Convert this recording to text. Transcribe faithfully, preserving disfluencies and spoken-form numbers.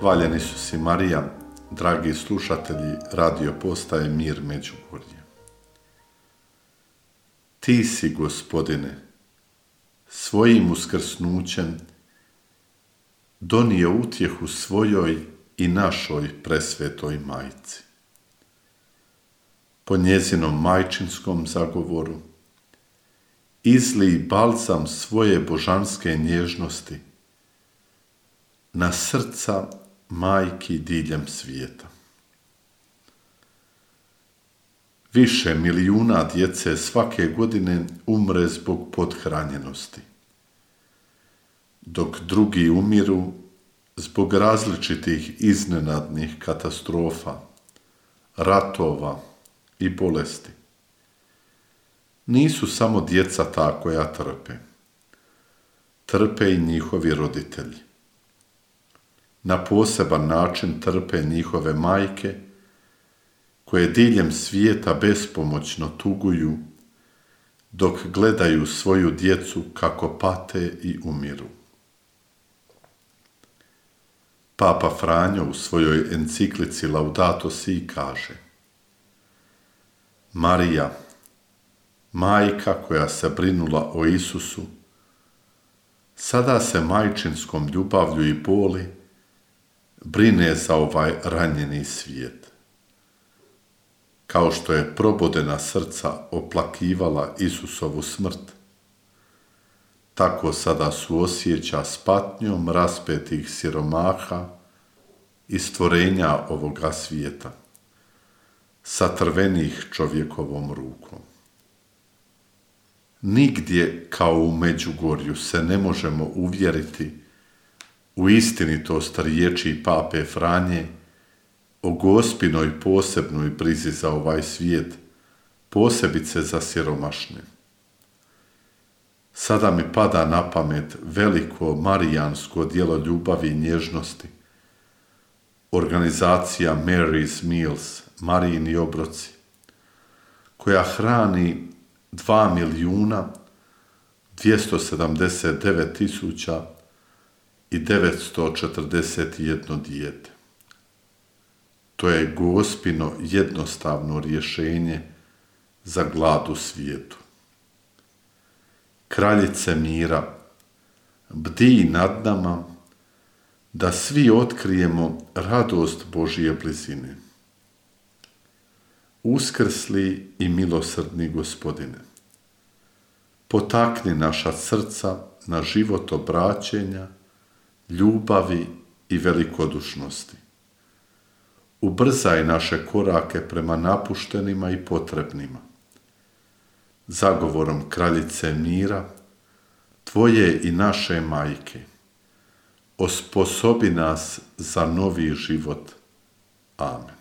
Hvaljen Isus i Marija, dragi slušatelji radio postaje Mir Međugorje. Ti si, Gospodine, svojim uskrsnućem donio utjehu svojoj i našoj presvetoj majci. Po njezinom majčinskom zagovoru izlij balzam svoje božanske nježnosti na srca majki diljem svijeta. Više milijuna djece svake godine umre zbog pothranjenosti, dok drugi umiru zbog različitih iznenadnih katastrofa, ratova i bolesti. Nisu samo djeca ta koja trpe. Trpe i njihovi roditelji. Na poseban način trpe njihove majke, koje diljem svijeta bespomoćno tuguju, dok gledaju svoju djecu kako pate i umiru. Papa Franjo u svojoj enciklici Laudato Si kaže: Marija, majka koja se brinula o Isusu, sada se majčinskom ljubavlju i boli brine za ovaj ranjeni svijet. Kao što je probodena srca oplakivala Isusovu smrt, tako sada suosjeća s patnjom raspetih siromaha i stvorenja ovoga svijeta, satrvenih čovjekovom rukom. Nigdje kao u Međugorju se ne možemo uvjeriti u istinitost riječi Pape Franje o Gospinoj posebnoj brizi za ovaj svijet, posebice za siromašne. Sada mi pada na pamet veliko marijansko djelo ljubavi i nježnosti, organizacija Mary's Meals, Marijini obroci, koja hrani dva milijuna dvjesto sedamdeset devet tisuća i devetsto četrdeset jedno dijete. To je Gospino jednostavno rješenje za glad u svijetu. Kraljice mira, bdij nad nama da svi otkrijemo radost Božje blizine. Uskrsli i milosrdni Gospodine, potakni naša srca na život obraćenja, ljubavi i velikodušnosti. Ubrzaj naše korake prema napuštenima i potrebnima. Zagovorom Kraljice mira, Tvoje i naše majke, osposobi nas za novi život. Amen.